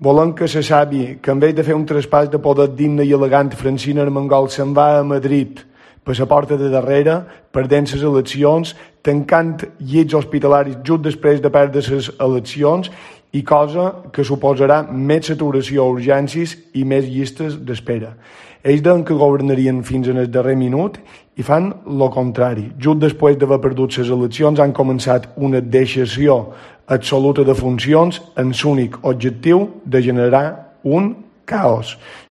Volem que se sàpiga que en vez de fer un traspàs de poder digne i elegant, Francina Armengol se'n va a Madrid per la porta de darrere, perdent les eleccions, tancant llits hospitalaris just després de perdre les eleccions, i cosa que suposarà més saturació a urgències i més llistes d'espera. Ells deien que governarien fins en el darrer minut i fan el contrari. Just després d'haver perdut les eleccions han començat una deixació absoluta de funcions amb l'únic objectiu de generar un caos.